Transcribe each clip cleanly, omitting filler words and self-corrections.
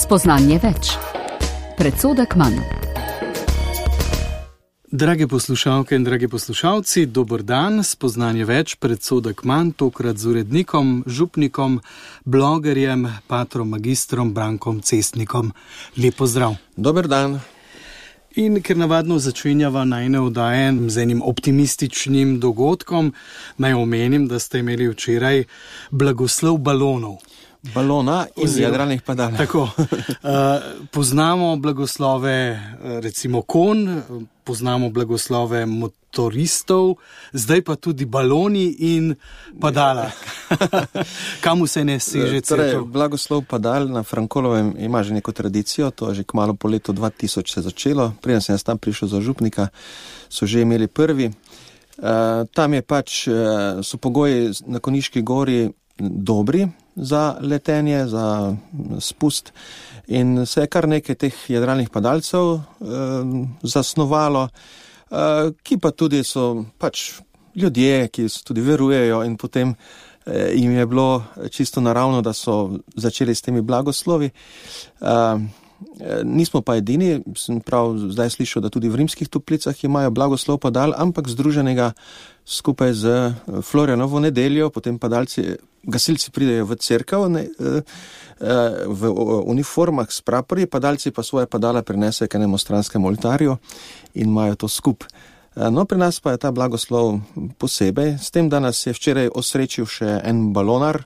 Spoznanje več. Predsodek manj. Drage poslušalke in dragi poslušalci, dober dan, spoznanje več, predsodek manj, tokrat z urednikom, župnikom, blogerjem, patrom magistrom Brankom Cestnikom. Lep pozdrav. Dober dan. In ker navadno začenjava najne oddaje z enim optimističnim dogodkom, naj omenim, da ste imeli včeraj blagoslov balonov. Balona iz jadralnih padal. Tako. Poznamo blagoslove recimo konj, poznamo blagoslove motoristov, zdaj pa tudi baloni in padala. Kam vse ne seže celo? Blagoslov padal na Frankolovem ima že neko tradicijo, to je že kmalu po letu 2000 se začelo. Preden sem jaz tam prišel za župnika, so že imeli prvi. Tam je so pogoji na Konjiški gori dobri za letenje, za spust in se je kar nekaj teh jadralnih padalcev zasnovalo, ki pa tudi so ljudje, ki so tudi verujejo in potem jim je bilo čisto naravno, da so začeli s temi blagoslovi. Nismo pa edini, sem prav zdaj slišal, da tudi v Rimskih Toplicah imajo blagoslov padal, ampak združenega skupaj z Florjanovo nedeljo, potem gasilci pridejo v cerkev v uniformah s praporji, padalci pa svoje padala prinesejo k enemu stranskemu oltarju in imajo to skup. No, pri nas pa je ta blagoslov posebej, s tem, da nas je včeraj osrečil še en balonar,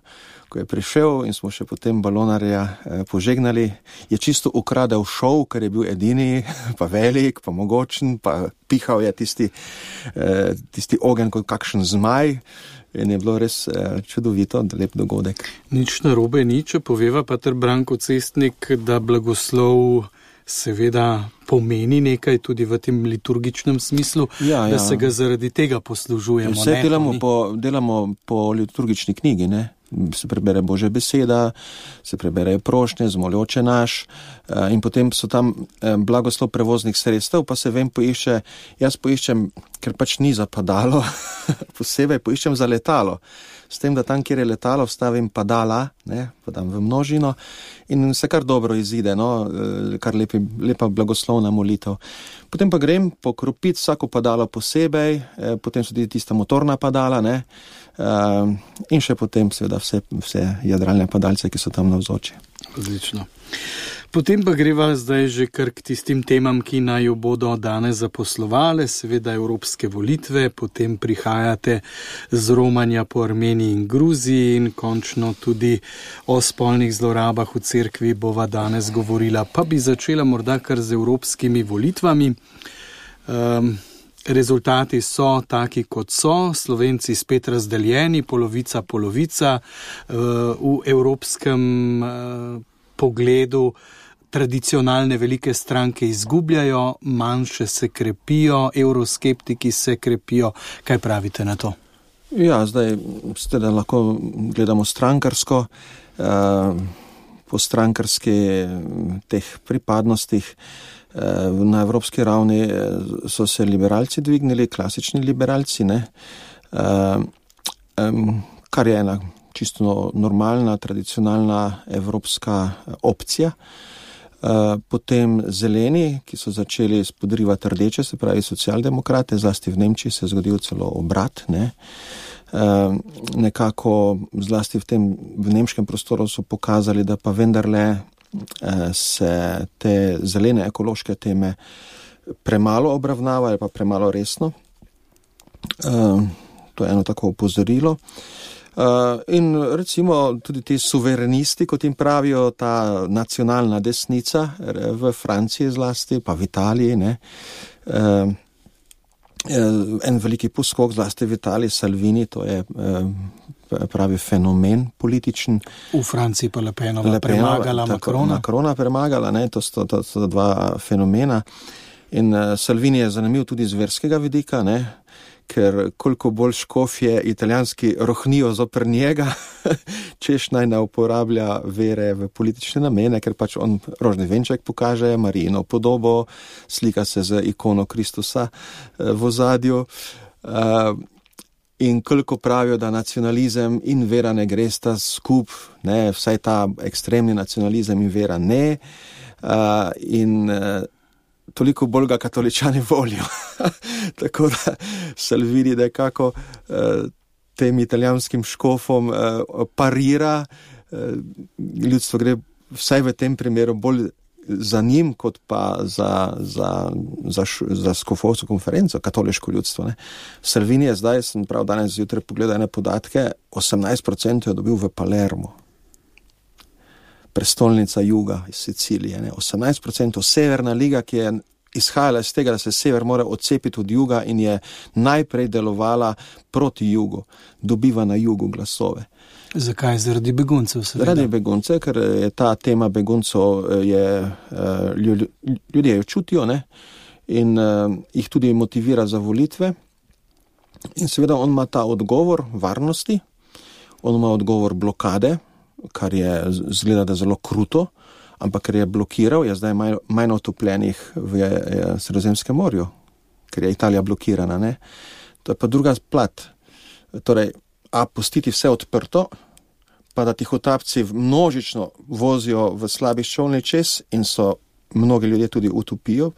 ko je prišel in smo še potem balonarja požegnali, je čisto ukradel šov, ker je bil edini, pa velik, pa mogočen, pa pihal je tisti ogenj kot kakšen zmaj in je bilo res čudovito, lep dogodek. Nič narobe ni, če poveva pater Branko Cestnik, da blagoslov seveda pomeni nekaj tudi v tem liturgičnem smislu, da se ga zaradi tega poslužujemo. Vse delamo po liturgični knjigi, ne? Se prebere Božja beseda, se preberejo prošnje, zmoljoče naš in potem so tam blagoslov prevoznih sredstev, pa se jaz poiščem, ker ni za padalo, posebej poiščem za letalo. S tem, da tam, kjer je letalo, vstavim padala, pa dam v množino in se kar dobro izide, kar lepa blagoslovna molitev. Potem pa grem pokropiti vsako padalo posebej, potem so tudi tista motorna padala, in še potem seveda vse jadralne padalce, ki so tam navzoči. Odlično. Potem pa greva zdaj že kar k tistim temam, ki naj jo bodo danes zaposlovale, seveda evropske volitve, potem prihajate z romanja po Armeniji in Gruziji in končno tudi o spolnih zlorabah v cerkvi bova danes govorila. Pa bi začela morda kar z evropskimi volitvami. Rezultati so taki, kot so, Slovenci spet razdeljeni, polovica, v evropskem pogledu tradicionalne velike stranke izgubljajo, manjše se krepijo, evroskeptiki se krepijo. Kaj pravite na to? Ja, zdaj da lahko gledamo strankarsko, po strankarski teh pripadnostih. Na evropski ravni so se liberalci dvignili, klasični liberalci, kar je ena čisto normalna, tradicionalna evropska opcija. Potem zeleni, ki so začeli spodrivati rdeče, se pravi socialdemokrate, zlasti v Nemčiji se je zgodil celo obrat, nekako zlasti v nemškem prostoru so pokazali, da pa vendarle se te zelene ekološke teme premalo obravnavajo, pa premalo resno. To je eno tako opozorilo. In recimo tudi ti suverenisti, kot jim pravijo, ta nacionalna desnica v Franciji zlasti, pa v Italiji, en veliki poskok zlasti v Italiji, Salvini, to je pravi fenomen političen. V Franciji pa Le Penova premagala Macrona. Macrona premagala, to so dva fenomena. In Salvini je zanimiv tudi z verskega vidika, ker koliko bolj škofje italijanski rohnijo zoper njega, češ naj ne uporablja vere v politične namene, ker on rožni venček pokaže, Marijino podobo, slika se z ikono Kristusa v ozadju. in koliko pravijo, da nacionalizem in vera ne gresta skup, ne, vsaj ta ekstremni nacionalizem in vera ne, toliko bolj ga katoličani volijo. Tako da Salvini nekako tem italijanskim škofom parira, ljudstvo gre vsaj v tem primeru bolj za njim, kot pa za škofovsko konferenco, katoliško ljudstvo. Ne. Salvini je zdaj, sem prav danes zjutraj pogledal ene podatke, 18% je dobil v Palermo. Prestolnica juga iz Sicilije. Ne. 18% Severna liga, ki je izhajala iz tega, da se sever mora odcepiti od juga in je najprej delovala proti jugu, dobiva na jugu glasove. Zakaj? Zaradi beguncev? Zaradi beguncev, ker je ta tema beguncev, ljudje jo čutijo, ne? In jih tudi motivira za volitve. In seveda on ima ta odgovor varnosti, on ima odgovor blokade, kar je zgleda, da zelo kruto, ampak ker je blokiral, je zdaj manj otopljenih v Sredozemskem morju, ker je Italija blokirana, ne? To je pa druga plat. Torej, pustiti vse odprto, pa da tihotapci množično vozijo v slabih čolnih čez in so mnogi ljudje tudi utopijo,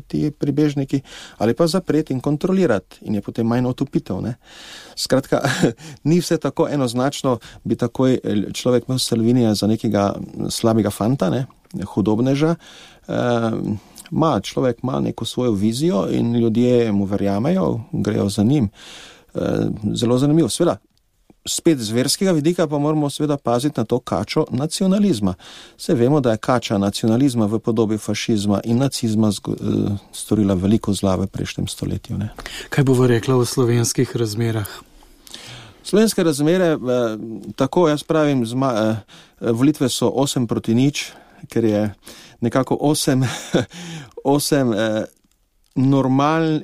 ti pribežniki, ali pa zapreti in kontrolirati in je potem manj utopitev, ne. Skratka, ni vse tako enoznačno, bi takoj človek imel Salvinija za nekega slabega fanta, ne, hudobneža. Človek ima neko svojo vizijo in ljudje mu verjamejo, grejo za njim. Zelo zanimivo. Sveda, spet z verskega vidika pa moramo seveda paziti na to kačo nacionalizma. Se vemo, da je kača nacionalizma v podobi fašizma in nacizma storila veliko zla v prejšnjem stoletju. Ne. Kaj bo rekla o slovenskih razmerah? Slovenske razmere, tako jaz pravim, volitve so 8-0, ker je nekako 8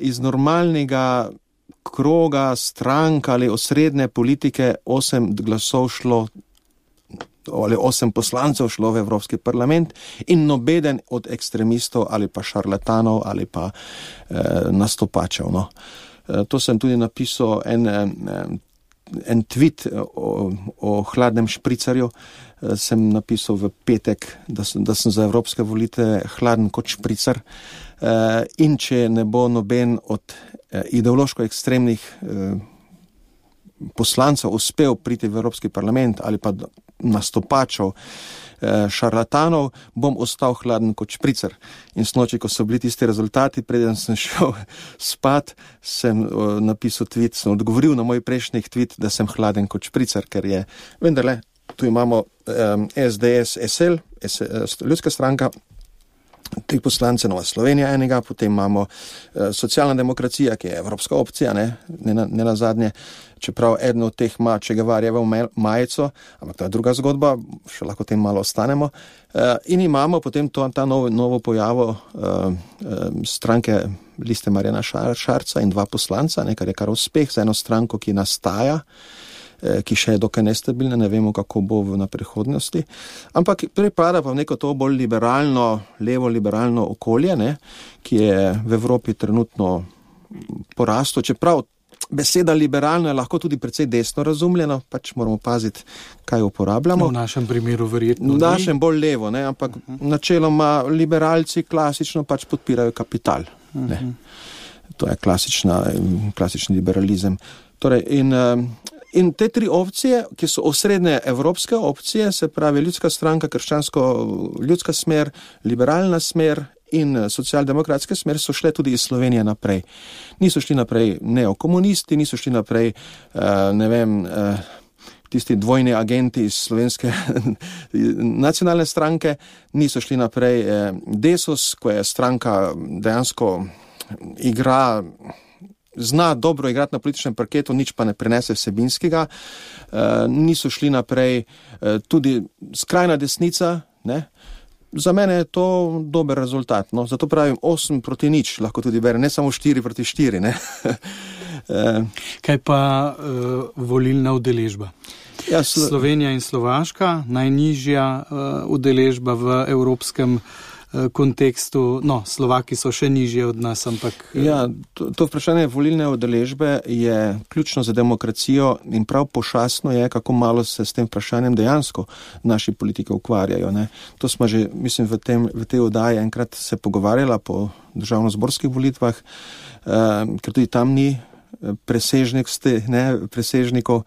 iz normalnega kroga, strank ali osrednje politike 8 glasov šlo, ali 8 poslancev šlo v Evropski parlament in nobeden od ekstremistov ali pa šarlatanov ali pa nastopačev. No. To sem tudi napisal en tweet o hladnem špricarju. Sem napisal v petek, da sem za evropske volitve hladen kot špricar. In če ne bo noben od ideološko ekstremnih poslancev uspel priti v Evropski parlament ali pa nastopačev šarlatanov, bom ostal hladen kot špricar. In snoči, ko so bili tisti rezultati, preden sem šel spat, sem napisal tweet, sem odgovoril na moj prejšnji tweet, da sem hladen kot špricar, ker je vendarle, tu imamo SDS, SL, Ljudska stranka, 3 poslance, Nova Slovenija enega, potem imamo socialna demokracija, ki je evropska opcija, ne nazadnje, čeprav eden od teh ima Che Guevarjevo majico, ampak to je druga zgodba, še lahko tem malo ostanemo. In imamo potem ta novo pojavo stranke Liste Marjana Šarca in 2 poslanca, kar je kar uspeh za eno stranko, ki nastaja, ki še je dokaj nestabilna, ne vemo, kako bo na prihodnosti. Ampak pripada pa v neko to bolj liberalno, levo-liberalno okolje, ki je v Evropi trenutno porasto, čeprav beseda liberalno je lahko tudi precej desno razumljeno, pač moramo paziti, kaj uporabljamo. V našem primeru verjetno. V našem bolj levo, ampak načeloma liberalci klasično pač podpirajo kapital. To je klasični liberalizem. Torej, in te 3 opcije, ki so osrednje evropske opcije, se pravi Ljudska stranka, krščansko-ljudska smer, liberalna smer in socialdemokratska smer, so šle tudi iz Slovenije naprej. Niso šli naprej neokomunisti, niso šli naprej, tisti dvojni agenti iz slovenske nacionalne stranke, niso šli naprej Desus, ko je stranka dejansko zna dobro igrati na političnem parketu, nič pa ne prenese vsebinskega. Niso šli naprej tudi skrajna desnica, Za mene je to dober rezultat. Zato pravim 8-0, lahko tudi bere, ne samo 4-4. Kaj pa volilna udeležba? Ja, Slovenija in Slovaška, najnižja udeležba v Evropskem kontekstu, Slovaki so še nižje od nas, ampak... Ja, to vprašanje volilne udeležbe je ključno za demokracijo in prav pošastno je, kako malo se s tem vprašanjem dejansko naši politiki ukvarjajo. Ne. To smo že, mislim, v tej oddaji enkrat se pogovarjala po državnozborskih volitvah, ker tudi tam ni presežnikov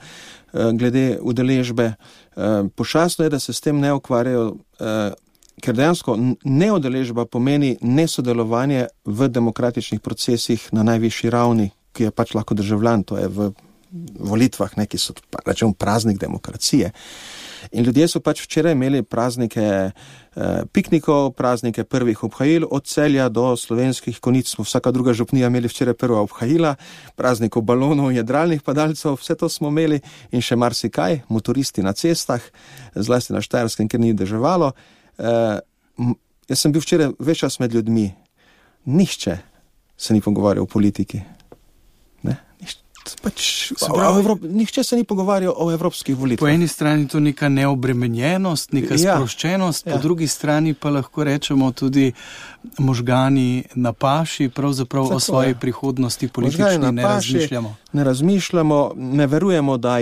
glede udeležbe. Pošastno je, da se s tem ne ukvarjajo, ker dejansko neudeležba pomeni nesodelovanje v demokratičnih procesih na najvišji ravni, ki je pač lahko državljan, to je v volitvah, ki so rečemo praznik demokracije. In ljudje so pač včeraj imeli praznike piknikov, praznike prvih obhajil, od Celja do slovenskih konic smo vsaka druga župnija imeli včeraj prva obhajila, praznikov balonov, jadralnih padalcev, vse to smo imeli in še marsikaj, motoristi na cestah, zlasti na Štajerskem, ker ni deževalo. Jaz sem bil včeraj ves čas med ljudmi. Nihče se ni pogovarjal o politiki. Nihče se ni pogovarjal o evropskih volitvah. Po eni strani to neka neobremenjenost, neka sproščenost, po drugi strani pa lahko rečemo tudi možgani na paši, pravzaprav o svoji prihodnosti politični ne razmišljamo. Ne razmišljamo, ne verujemo, da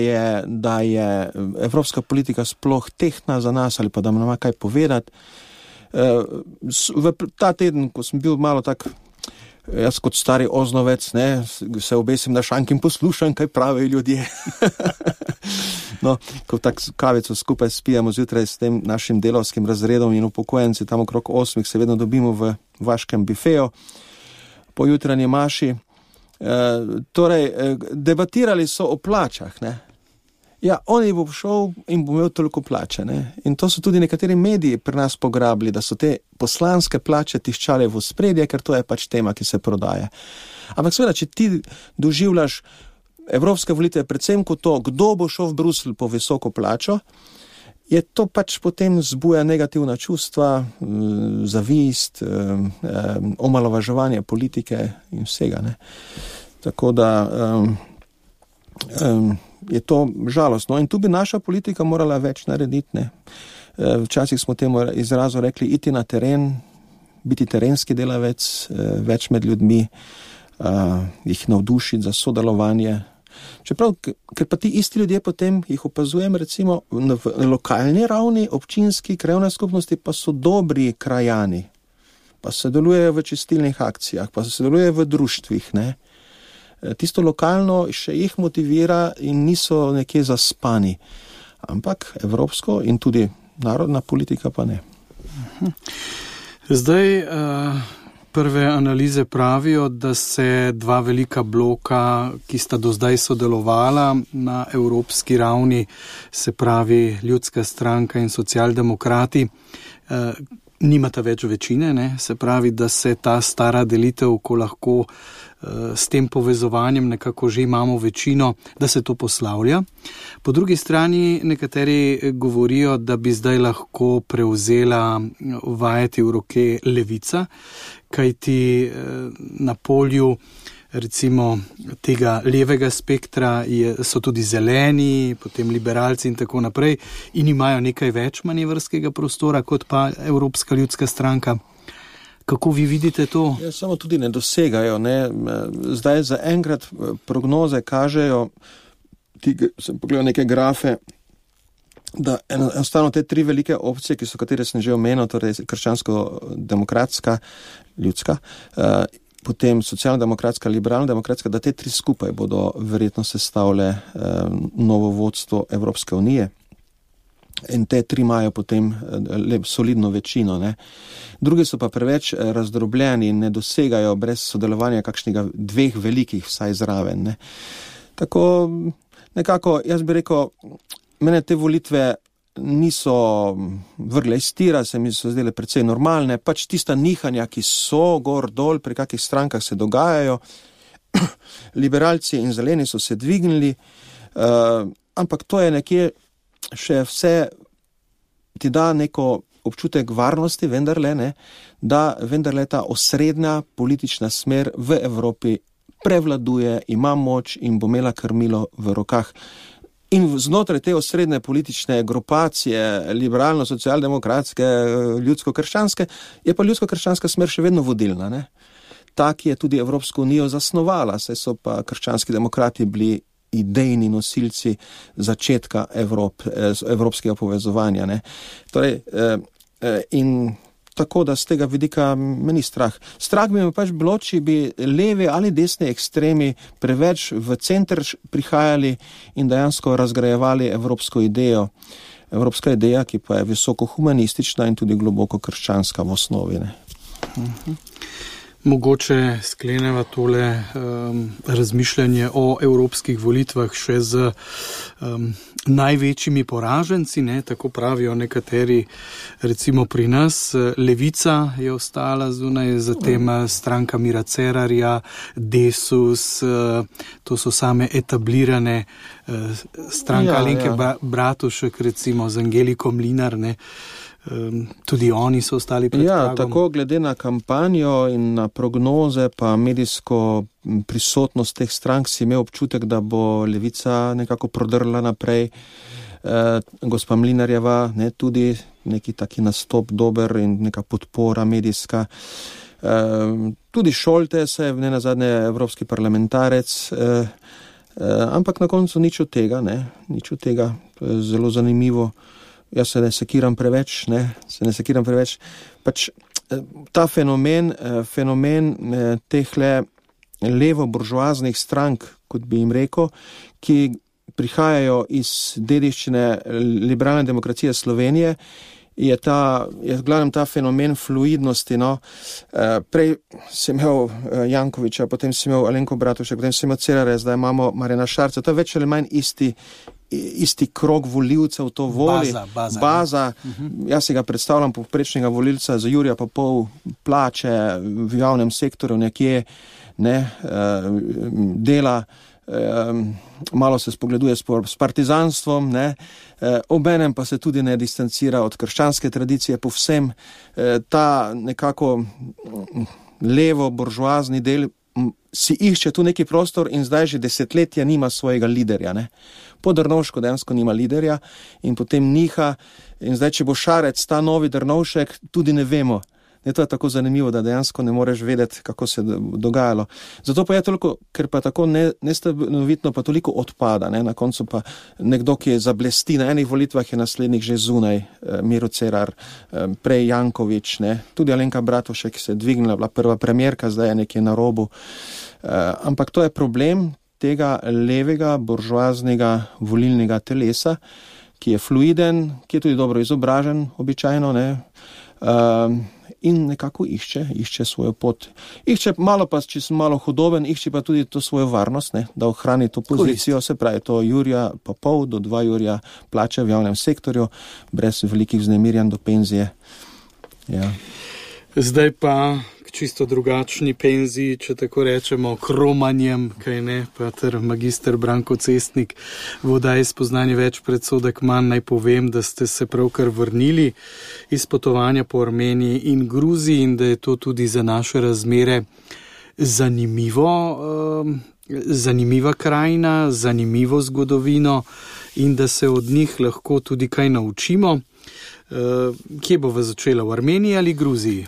je evropska politika sploh tehtna za nas ali pa da ima kaj povedati. Ta teden, ko sem bil malo tak, jaz kot stari oznovec, se obesim na šank in poslušam, kaj pravijo ljudje. Ko tak kavico skupaj spijamo zjutraj s tem našim delavskim razredom in upokojenci, tam okrog 8 se vedno dobimo v vaškem bifeju po jutranji maši. Torej, debatirali so o plačah, Ja, oni bo šel in bo imel toliko plače, In to so tudi nekateri mediji pri nas pograbili, da so te poslanske plače tiščale v ospredje, ker to je pač tema, ki se prodaja. Ampak seveda, če ti doživljaš evropske volitve predvsem kot to, kdo bo šel v Bruselj po visoko plačo, je to pač potem zbuja negativna čustva, zavist, omalovaževanje politike in vsega, Tako da... je to žalostno. In tu bi naša politika morala več narediti. Včasih smo temu izrazu rekli iti na teren, biti terenski delavec, več med ljudmi, jih navdušiti za sodelovanje. Čeprav, ker pa ti isti ljudje potem jih opazujem, recimo na lokalni ravni, občinski, krajevne skupnosti, pa so dobri krajani, pa sodelujejo v čistilnih akcijah, pa sodelujejo v društvih, Tisto lokalno še jih motivira in niso nekje zaspani. Ampak evropsko in tudi narodna politika pa ne. Zdaj prve analize pravijo, da se dva velika bloka, ki sta do zdaj sodelovala na evropski ravni, se pravi Ljudska stranka in socialdemokrati, nimata več večine, se pravi, da se ta stara delitev, ko lahko s tem povezovanjem nekako že imamo večino, da se to poslavlja. Po drugi strani nekateri govorijo, da bi zdaj lahko prevzela vajeti v roke levica, kajti na polju recimo tega levega spektra so tudi zeleni, potem liberalci in tako naprej in imajo nekaj več manevrskega prostora kot pa Evropska ljudska stranka. Kako vi vidite to? Ja, samo tudi ne dosegajo. Zdaj za enkrat prognoze kažejo, sem pogledal neke grafe, da enostavno te tri velike opcije, katere sem že omenil, torej krščansko-demokratska, ljudska, potem socialno-demokratska, liberalno-demokratska, da te tri skupaj bodo verjetno sestavile novo vodstvo Evropske unije. In te tri imajo potem solidno večino. Drugi so pa preveč razdrobljeni in ne dosegajo brez sodelovanja kakšnega dveh velikih vsaj zraven. Tako nekako, jaz bi rekel, mene te volitve niso vrgle iz tira, se mi so zdele precej normalne, pač tista nihanja, ki so gor dol, pri kakih strankah se dogajajo, liberalci in zeleni so se dvignili, ampak to je nekje še vse ti da neko občutek varnosti, vendarle, da vendarle ta osrednja politična smer v Evropi prevladuje, ima moč in bo imela krmilo v rokah. In znotraj te osrednje politične grupacije, liberalno-socialdemokratske, ljudsko-krščanske, je pa ljudsko-krščanska smer še vedno vodilna, ne? Ta, ki je tudi Evropsko unijo zasnovala, saj so pa krščanski demokrati bili idejni nosilci začetka evropskega povezovanja, ne? Torej, in tako, da z tega vidika meni strah. Strah bi me pač bilo, če bi levi ali desni ekstremi preveč v center prihajali in dejansko razgrajevali evropsko idejo. Evropska ideja, ki pa je visoko humanistična in tudi globoko krščanska v osnovi, ne? Mogoče skleneva tole razmišljanje o evropskih volitvah še z največjimi poraženci, ne, tako pravijo nekateri, recimo pri nas, Levica je ostala zunaj, zatem stranka Mira Cerarja, Desus, to so same etablirane stranka Alenke Bratušek, recimo z Angeliko Mlinar, ne. Tudi oni so ostali pred pragom. Tako glede na kampanjo in na prognoze pa medijsko prisotnost teh strank si imel občutek, da bo Levica nekako prodrla naprej. Gospa Mlinarjeva, ne, tudi neki taki nastop dober in neka podpora medijska. Tudi Šoltes je nenazadnje evropski parlamentarec, ampak na koncu nič od tega, ne, nič od tega. To je zelo zanimivo. Jaz se ne sekiram preveč, pač ta fenomen tehle levo-buržoaznih strank, kot bi jim rekel, ki prihajajo iz dediščine liberalne demokracije Slovenije, je glavnem ta fenomen fluidnosti, no. Prej si imel Jankoviča, potem si imel Alenko Bratušek, potem si imel Cerarja, zdaj imamo Marjana Šarca, to je več ali manj isti krog volivcev to voli. Baza. Jaz si ga predstavljam povprečnega volilca za Jurija pa pol plače v javnem sektorju nekje, ne, dela, malo se spogleduje s partizanstvom, ne, obenem pa se tudi ne distancira od krščanske tradicije povsem. Ta nekako levo buržoazni del si išče tu neki prostor in zdaj že desetletja nima svojega liderja, ne. Po Drnovšku dejansko nima liderja in potem niha in zdaj, če bo Šarec ta novi Drnovšek, tudi ne vemo. Ne, to je tako zanimivo, da dejansko ne moreš vedeti, kako se dogajalo. Zato pa je toliko, ker pa tako nestanovitno pa toliko odpada, ne, na koncu pa nekdo, ki je zablesti, na enih volitvah je naslednjih že zunaj, Miro Cerar, prej Jankovič, ne, tudi Alenka Bratušek se je dvignila, bila prva premierka, zdaj je nekje na robu. Ampak to je problem tega levega, buržoaznega volilnega telesa, ki je fluiden, ki je tudi dobro izobražen, običajno, ne, in nekako išče svojo pot. Išče malo pa, če sem malo hudoben, išče pa tudi to svojo varnost, ne, da ohrani to pozicijo, se pravi to Jurija pa pol do 2 Jurija plače v javnem sektorju, brez velikih vznemirjanj do penzije. Ja. Zdaj pa k čisto drugačni penziji, če tako rečemo, kromanjem, kaj ne, pa ter magister Branko Cestnik v oddaji Spoznanje več, predsodek manj, naj povem, da ste se pravkar vrnili iz potovanja po Armeniji in Gruziji in da je to tudi za naše razmere zanimiva krajina, zanimivo zgodovino in da se od njih lahko tudi kaj naučimo. Kje bova začela, v Armeniji ali Gruziji?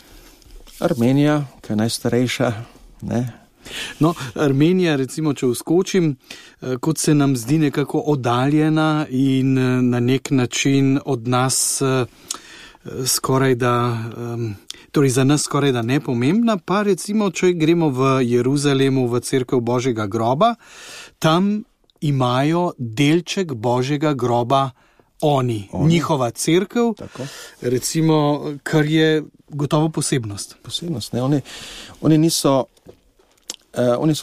Armenija, ki je najstarejša, ne? No, Armenija, recimo, če vskočim, kot se nam zdi nekako oddaljena in na nek način od nas skoraj da, torej za nas skoraj da nepomembna, pa recimo, če gremo v Jeruzalemu, v cerkev Božjega groba, tam imajo delček Božjega groba oni. Njihova cerkev, tako. Recimo, kar je gotovo posebnost. Posebnost, ne, oni so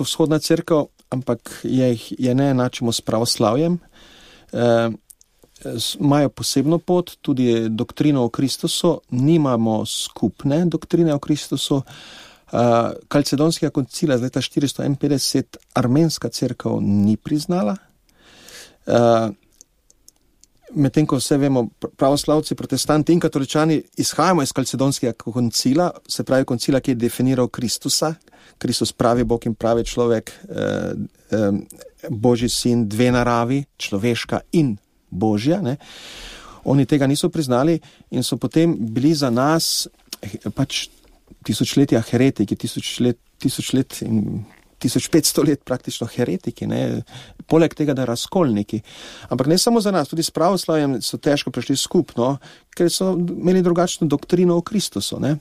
vzhodna cerkev, ampak je ne enačimo s pravoslavjem, imajo posebno pot, tudi doktrino o Kristusu, nimamo skupne doktrine o Kristusu. Kalcedonskega koncila z leta 451 armenska cerkev ni priznala. medtem ko vse vemo, pravoslavci, protestanti in katoličani izhajamo iz Kalcedonskega koncila, se pravi koncila, ki je definiral Kristusa, Kristus pravi Bog in pravi človek, Božji sin, dve naravi, človeška in Božja, ne. Oni tega niso priznali in so potem bili za nas pač tisočletja heretiki, 1500 let praktično heretiki, ne, poleg tega, da razkolniki. Ampak ne samo za nas, tudi s pravoslavjem so težko prišli skupno, ker so imeli drugačno doktrino o Kristusu, ne.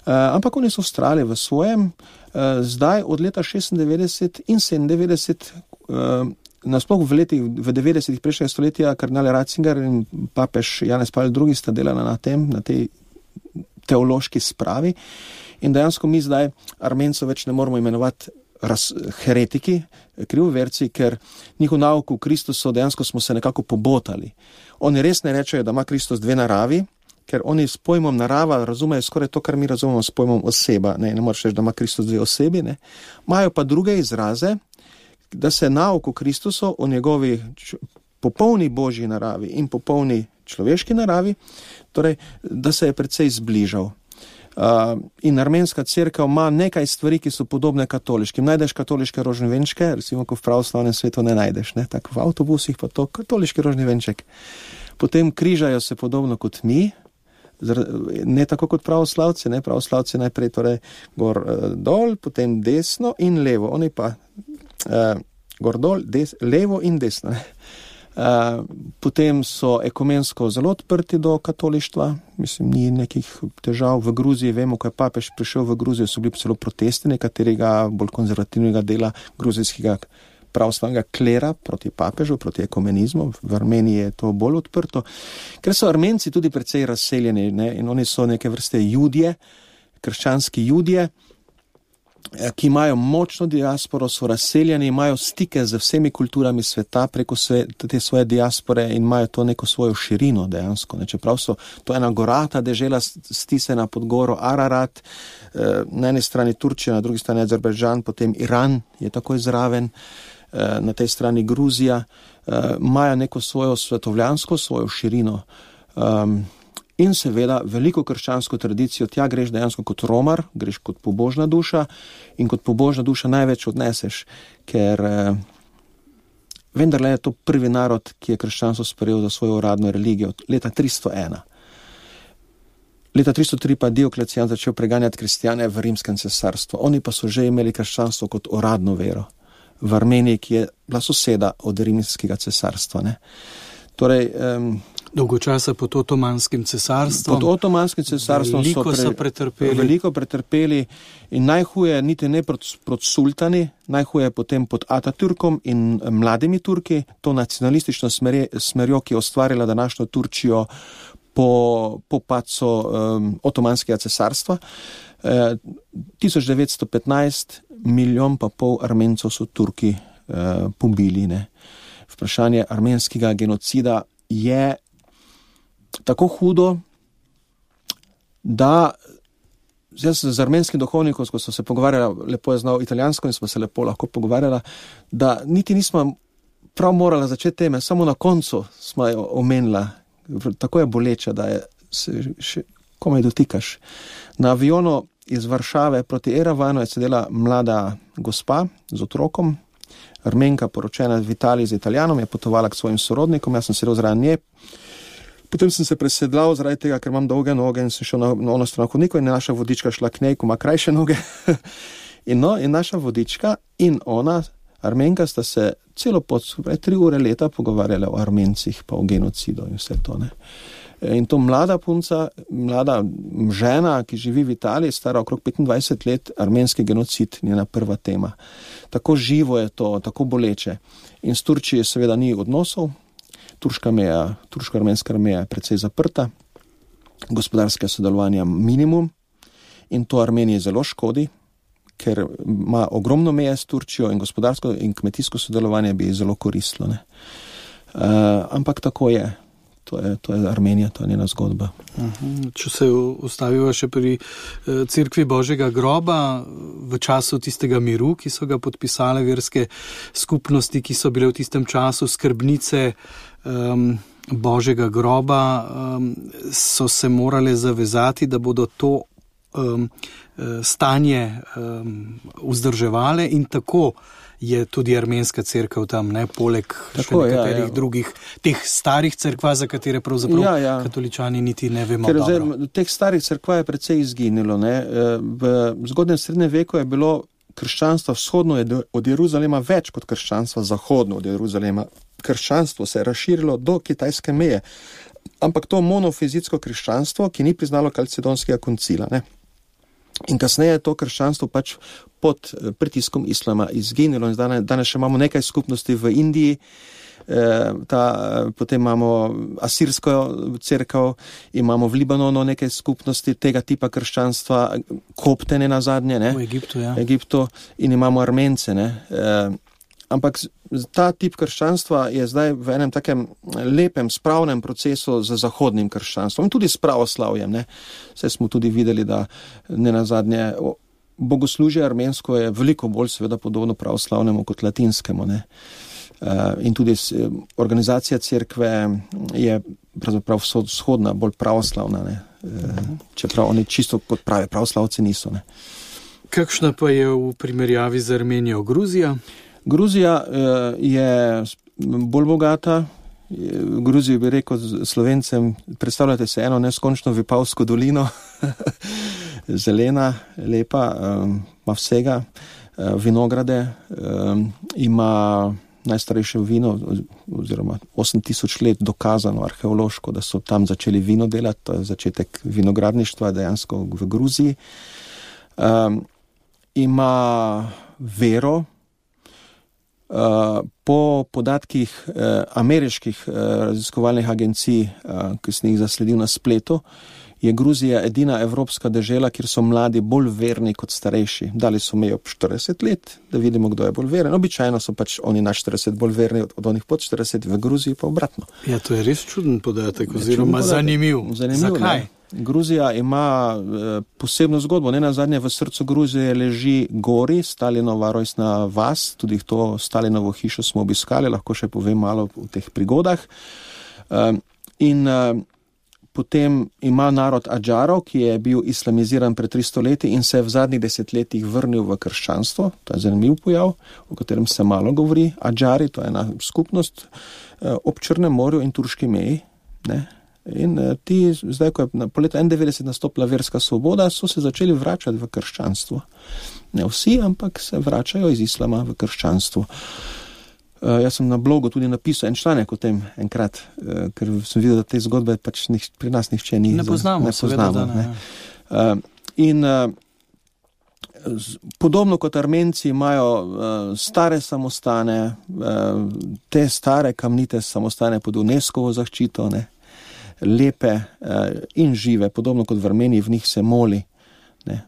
Ampak oni so vztrajali v svojem, zdaj od leta 96 in 97, nasploh v 90-ih prejšnjega stoletja, kardinal Ratzinger in papež Janez Pavel II sta delala na tej teološki spravi in dejansko mi zdaj Armencov več ne moramo imenovati heretiki, krivoverci, ker njihov nauk v Kristusu dejansko smo se nekako pobotali. Oni res ne rečejo, da ima Kristus dve naravi, ker oni s pojmom narava razumejo skoraj to, kar mi razumemo s pojmom oseba. Ne moreš reči, da ima Kristus dve osebi, ne. Imajo pa druge izraze, da se nauk v Kristusu o njegovi popolni Božji naravi in popolni človeški naravi, torej, da se je precej zbližal. In armenska cerkev ima nekaj stvari, ki so podobne katoliškim. Najdeš katoliške rožne venčke, recimo, ko v pravoslavnem svetu ne najdeš, ne, tako v avtobusih pa to katoliški rožni venček. Potem križajo se podobno kot mi, ne tako kot pravoslavci, ne, pravoslavci najprej torej gor dol, potem desno in levo, oni pa gor dol, levo in desno, ne. Potem so ekumensko zelo odprti do katolištva, mislim, ni nekih težav. V Gruziji, vemo, ko je papež prišel v Gruzijo, so bili celo protesti nekaterega bolj konzervativnega dela gruzijskega pravoslavnega klera proti papežu, proti ekumenizmu. V Armeniji je to bolj odprto, ker so Armenci tudi precej razseljeni, ne, in oni so neke vrste judje, krščanski judje, ki imajo močno diasporo, so razseljeni, imajo stike z vsemi kulturami sveta preko te svoje diaspore in imajo to neko svojo širino dejansko. Ne. Čeprav so to ena gorata dežela stisena pod goro Ararat, na eni strani Turčija, na drugi strani Azerbajdžan, potem Iran je takoj zraven, na tej strani Gruzija, imajo neko svojo svetovljansko, svojo širino. In seveda veliko krščansko tradicijo, tja greš dejansko kot romar, greš kot pobožna duša in kot pobožna duša največ odneseš, ker vendarle je to prvi narod, ki je krščanstvo sprejel za svojo uradno religijo, leta 301. Leta 303 pa Dioklecijan začel preganjati kristjane v rimskem cesarstvu. Oni pa so že imeli krščanstvo kot uradno vero v Armeniji, ki je bila soseda od rimskega cesarstva, ne. Torej, dolgo časa pod Otomanskim cesarstvom. Pod Otomanskim cesarstvom veliko pretrpeli in najhuje niti ne proti sultani, najhuje potem pod Atatürkom in mladimi Turki, to nacionalistično smerjo, ki je ustvarila današnjo Turčijo po padcu Otomanskega cesarstva. 1915 milijon pa pol Armencov so Turki pobili, ne. Vprašanje armenskega genocida je tako hudo, da jaz z armenskim duhovnikom, ko so se pogovarjala, lepo je znal italijansko in smo se lepo lahko pogovarjala, da niti nismo prav morala začeti teme, samo na koncu smo jo omenila. Tako je boleča, da se še komaj dotikaš. Na avionu iz Varšave proti Erevanu je sedela mlada gospa z otrokom, Armenka, poročena v Italiji z Italijanom, je potovala k svojim sorodnikom, jaz sem sedel zraven nje. Potem sem se presedlal zaradi tega, ker imam dolge noge in sem šel na ono stran hodnikov in naša vodička šla k njej, ko ima krajše noge. in naša vodička in ona, Armenka, sta se celo pot, 3 ure leta pogovarjala o Armencih, pa o genocidu in vse to, ne. In to mlada punca, mlada žena, ki živi v Italiji, stara okrog 25 let, armenski genocid, njena prva tema. Tako živo je to, tako boleče. In s Turčijo seveda ni odnosov, turško-armenska meja je precej zaprta, gospodarske sodelovanja minimum in to Armeniji zelo škodi, ker ima ogromno meje s Turčijo in gospodarsko in kmetijsko sodelovanje bi zelo koristilo, ne. Ampak tako je. To je Armenija, to je njena zgodba. Če se ustaviva še pri Cerkvi Božjega groba, v času tistega miru, ki so ga podpisale verske skupnosti, ki so bile v tistem času skrbnice Božjega groba so se morale zavezati, da bodo to stanje vzdrževale in tako je tudi armenska cerkev tam, ne, poleg tako, še nekaterih drugih teh starih cerkva, za katere pravzaprav katoličani niti ne vemo dobro. Teh starih cerkva je precej izginilo. Ne. V zgodnjem srednjem veku je bilo krščanstva vzhodno od Jeruzalema več kot krščanstva zahodno od Jeruzalema. Krščanstvo se je razširilo do kitajske meje, ampak to monofizitsko krščanstvo, ki ni priznalo kalcedonskega koncila, ne. In kasneje je to krščanstvo pač pod pritiskom islama izginilo in danes še imamo nekaj skupnosti v Indiji, potem imamo asirsko cerkev, imamo v Libanonu nekaj skupnosti tega tipa krščanstva, koptene na zadnje, ne? V Egiptu, ja. Egiptu, in imamo Armence, ne? Ampak ta tip krščanstva je zdaj v enem takem lepem, spravnem procesu z zahodnim krščanstvom in tudi s pravoslavjem, ne. Saj smo tudi videli, da nenazadnje bogoslužje armensko je veliko bolj seveda podobno pravoslavnemu kot latinskemu, ne. In tudi organizacija cerkve je pravzaprav vzhodna, bolj pravoslavna, ne. Čeprav oni čisto kot pravi pravoslavci niso, ne. Kakšna pa je v primerjavi z Armenijo Gruzija? Gruzija je bolj bogata. Gruzijo bi rekel Slovencem, predstavljate se eno neskončno Vipavsko dolino, zelena, lepa, ima vsega, vinograde, ima najstarejše vino, oziroma 8000 let dokazano arheološko, da so tam začeli vino delati, to je začetek vinogradništva dejansko v Gruziji. Ima vero. Po podatkih ameriških raziskovalnih agencij, ki sem jih zasledil na spletu, je Gruzija edina evropska dežela, kjer so mladi bolj verni kot starejši. Dali so mejo 40 let, da vidimo, kdo je bolj veren. Običajno so pač oni na 40 bolj verni od onih pod 40, v Gruziji pa obratno. Ja, to je res čuden podatek, oziroma zanimiv. Zakaj? Ne? Gruzija ima posebno zgodbo. Nenazadnje v srcu Gruzije leži Gori, Stalinova rojstna vas, tudi to Stalinovo hišo smo obiskali, lahko še povem malo o teh prigodah. In potem ima narod Adžarov, ki je bil islamiziran pred 300 leti in se je v zadnjih desetletjih vrnil v krščanstvo. To je zanimiv pojav, o katerem se malo govori. Adžari, to je ena skupnost ob Črnem morju in turški meji, ne. In ti, zdaj, ko je po letu 1991 nastopila verska svoboda, so se začeli vračati v krščanstvo. Ne vsi, ampak se vračajo iz islama v krščanstvo. Jaz sem na blogu tudi napisal en članek o tem enkrat, ker sem videl, da te zgodbe pač pri nas nihče ni. Ne poznamo. Ne. In podobno kot Armenci imajo stare samostane, te stare kamnite samostane pod UNESCO-vo zaščito, ne. Lepe in žive, podobno kot v Armeniji, v njih se moli. Ne.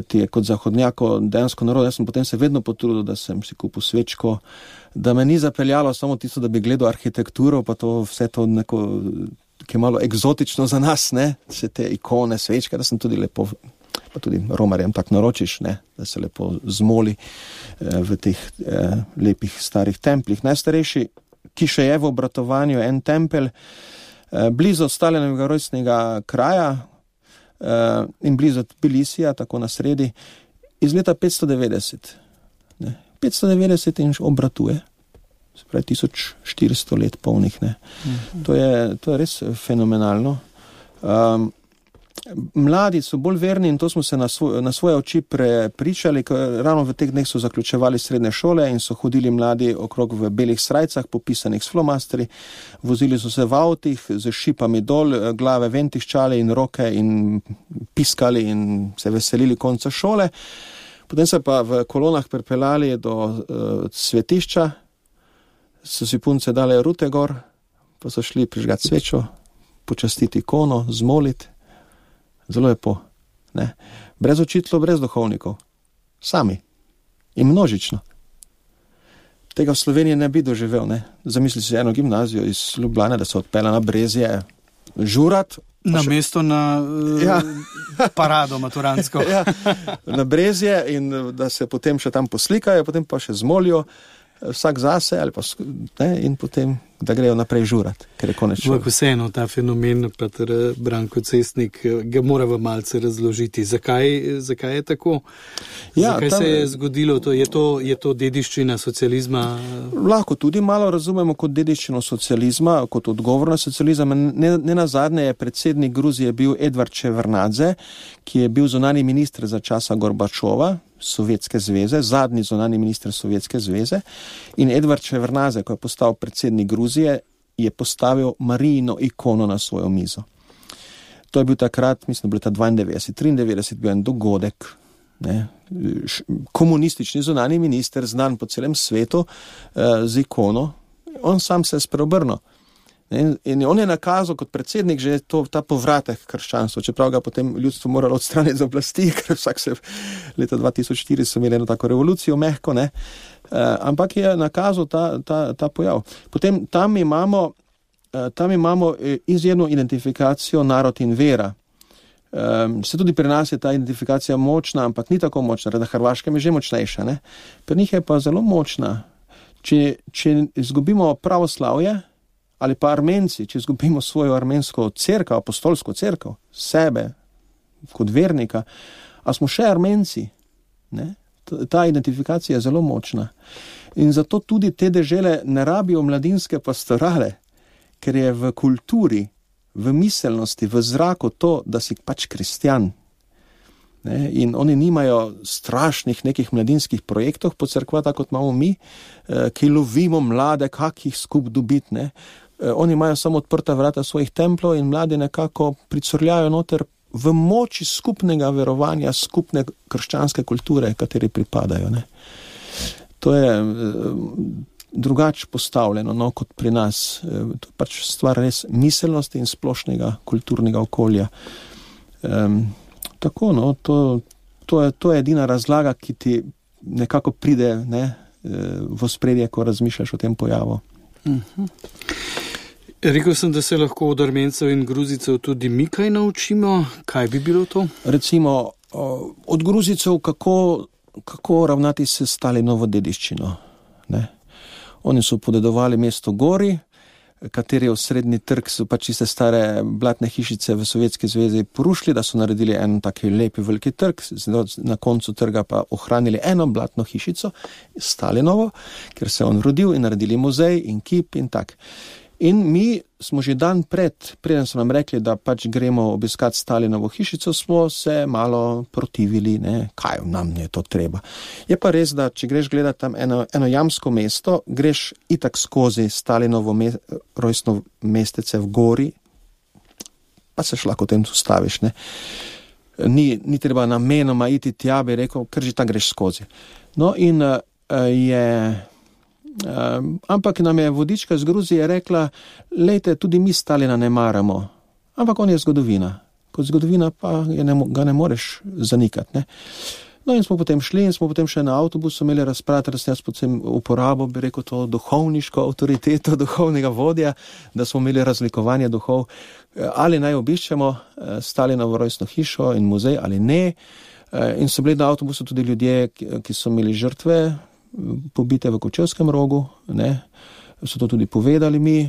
Ti je kot zahodnjako dejansko narod. Jaz sem potem se vedno potrudil, da sem si kupil svečko, da me ni zapeljalo samo tisto, da bi gledal arhitekturo, pa to vse to neko, ki je malo egzotično za nas, ne, vse te ikone, svečke, da sem tudi lepo, pa tudi romarjem tak naročiš, ne, da se lepo zmoli v teh lepih starih templih. Najstarejši, ki še je v obratovanju, en tempelj, blizu Stalinovega rojstnega kraja in blizu Tbilisija, tako na sredi, iz leta 590. Ne. 590 in obratuje. Se pravi 1400 let polnih. Ne. To je res fenomenalno. Mladi so bolj verni in to smo se na svoje oči prepričali, ker ravno v teh dneh so zaključevali srednje šole in so hodili mladi okrog v belih srajcah, popisanih s flomastri, vozili so se v avtih z šipami dol, glave ven tiščali in roke in piskali in se veselili konca šole. Potem se pa v kolonah pripeljali do svetišča, so si punce dale rute gor, pa so šli prižgati svečo, počastiti ikono, zmoliti. Zelo lepo, ne. Brez učiteljev, brez duhovnikov. Sami. In množično. Tega v Sloveniji ne bi doživel, ne. Zamisli si eno gimnazijo iz Ljubljane, da se odpela na Brezje, žurat. Namesto na parado maturansko. Ja, na Brezje in da se potem še tam poslikajo, potem pa še zmolijo, vsak zase ali pa, ne, in potem da grejo naprej žurati, ker je konec šole. Vseeno ta fenomen, pater Branko Cestnik, ga moramo malce razložiti. Zakaj je tako? Zakaj se je zgodilo? Je to dediščina socializma? Lahko tudi malo razumemo kot dediščino socializma, kot odgovor na socializem. Ne nazadnje je predsednik Gruzije bil Edvard Ševardnadze, ki je bil zunanji minister za časa Gorbačova, Sovjetske zveze, zadnji zunanji minister Sovjetske zveze, in Edvard Ševardnadze, ko je postal predsednik Gruzije, je postavil Marijino ikono na svojo mizo. To je bil takrat, mislim, da bil 92, bil en dogodek, ne, komunistični zunanji minister, znan po celem svetu, z ikono, on sam se je spreobrnil. In on je nakazal kot predsednik že ta povratek krščanstva, čeprav ga potem ljudstvo moralo odstraniti z oblasti, ker vsak se leta 2004 so imeli eno tako revolucijo, mehko, ne, ampak je nakazal ta pojav. Potem tam imamo izjemno identifikacijo narod in vera. Se tudi pri nas je ta identifikacija močna, ampak ni tako močna, na Hrvaškem je že močnejša, ne. Pri njih je pa zelo močna. Če izgubimo pravoslavje, ali pa Armenci, če izgubimo svojo armensko cerkev, apostolsko cerkev, sebe kot vernika, a smo še Armenci, ne? Ta identifikacija je zelo močna. In zato tudi te dežele ne rabijo mladinske pastorale, ker je v kulturi, v miselnosti, v zraku to, da si pač kristjan. Ne? In oni nimajo strašnih nekih mladinskih projektov po cerkva, tako kot imamo mi, ki lovimo mlade, kak jih skup dobiti, ne? Oni imajo samo odprta vrata svojih templov in mladi nekako pricurljajo noter v moči skupnega verovanja, skupne krščanske kulture, kateri pripadajo. Ne. To je drugače postavljeno, no, kot pri nas. To je pač stvar res miselnosti in splošnega kulturnega okolja. Tako, no, to je edina razlaga, ki ti nekako pride, ne, v ospredje, ko razmišljaš o tem pojavu. Rekel sem, da se lahko od Armencev in Gruzijcev tudi mi kaj naučimo. Kaj bi bilo to? Recimo, od Gruzijcev, kako ravnati se Stalinovo dediščino. Ne? Oni so podedovali mesto Gori, kateri osrednji trg so pač iste stare blatne hišice v Sovjetski zvezi porušili, da so naredili en taki lepi veliki trg, na koncu trga pa ohranili eno blatno hišico, Stalinovo, ker se on rodil, in naredili muzej in kip in tak. In mi smo že dan preden so nam rekli, da pač gremo obiskati Stalinovo hišico, smo se malo protivili, ne, kaj nam je to treba. Je pa res, da če greš gledati tam eno jamsko mesto, greš itak skozi Stalinovo rojstno mestece v Gori, pa se lahko tem tu staviš, ne. Ni treba namenoma iti tja, bi rekel, ker že tam greš skozi. No in ampak nam je vodička iz Gruzije rekla, lejte, tudi mi Stalina ne maramo, ampak on je zgodovina. Kot zgodovina pa ga ne moreš zanikati, ne. No in smo potem šli in smo potem še na avtobusu imeli razpravljati, da sem jaz potem uporabil, bi rekel, to duhovniško avtoriteto, duhovnega vodja, da smo imeli razlikovanje duhov, ali naj obiščemo Stalinovo rojstno hišo in muzej ali ne. In so bili na avtobusu tudi ljudje, ki so imeli žrtve pobite v Kočevskem rogu, ne, so to tudi povedali mi.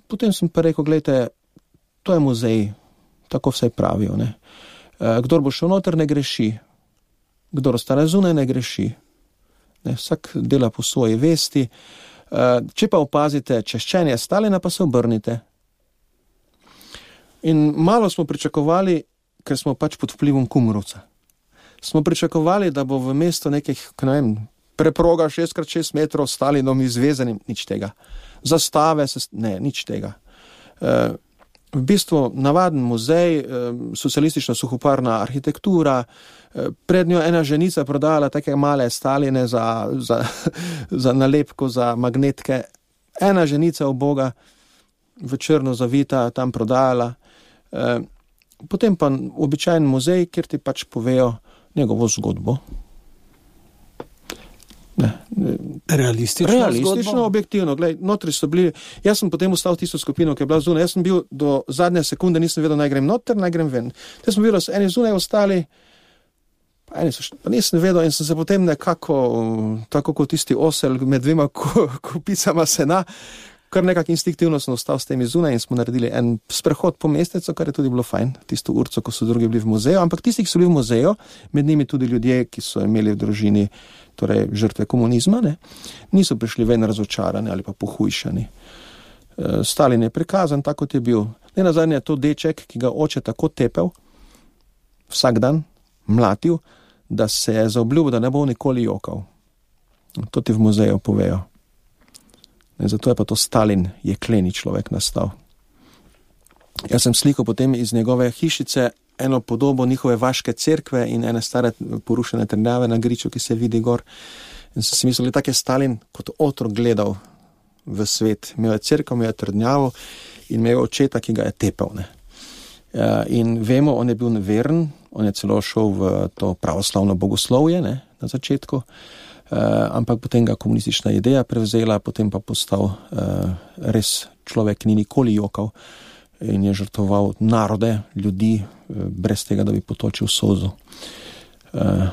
Potem sem pa rekel, gledajte, to je muzej, tako vse pravijo, ne. Kdor bo šel noter, ne greši. Kdor ostane zunaj, ne greši. Ne, vsak dela po svoji vesti. Če pa opazite češčenje Stalina, pa se obrnite. In malo smo pričakovali, ker smo pač pod vplivom Kumrovca. Smo pričakovali, da bo v mestu nekih, ne vem, preproga 6x6 metrov Stalinom izvezanim, nič tega. Zastave, nič tega. V bistvu navaden muzej, socialistična suhoparna arhitektura, pred njo ena ženica prodala take male Staline za nalepko, za magnetke. Ena ženica uboga, v črno zavita, tam prodajala. Potem pa običajen muzej, kjer ti pač povejo njegovo zgodbo. Realistično, objektivno. Glej, notri so bili, jaz sem potem ostal tisto skupino, ki je bila zunaj. Jaz sem bil do zadnje sekunde, nisem vedel, naj grem noter, naj grem ven. Te smo bili eni zunaj ostali, Pa nisem vedel in sem se potem nekako, tako kot tisti osel med dvema kupicama sena, kar nekako instinktivno sem ostal s temi zunaj in smo naredili en sprehod po mestecu, kar je tudi bilo fajn, tisto urco, ko so drugi bili v muzeju, ampak tisti, ki so bili v muzeju, med njimi tudi ljudje, ki so imeli v družini, torej žrtve komunizma, niso prišli ven razočarani ali pa pohujšani. Stalin je prikazan, tako kot je bil. Nenazadnje je to deček, ki ga oče tako tepel, vsak dan mlatil, da se je zaobljubil, da ne bo nikoli jokal. To ti v muzeju povejo. In zato je pa to Stalin, jekleni človek nastal. Jaz sem slikal potem iz njegove hišice eno podobo njihove vaške cerkve in ene stare porušene trdnjave na griču, ki se vidi gor. In sem si mislil, tak je Stalin kot otrok gledal v svet. Imel je cerkev, imel je trdnjavo in imel očeta, ki ga je tepel. In vemo, on je bil veren, on je celo šel v to pravoslavno bogoslovje na začetku, ampak potem ga komunistična ideja prevzela, potem pa postal res človek, ni nikoli jokal in je žrtvoval narode, ljudi, brez tega, da bi potočil solzo.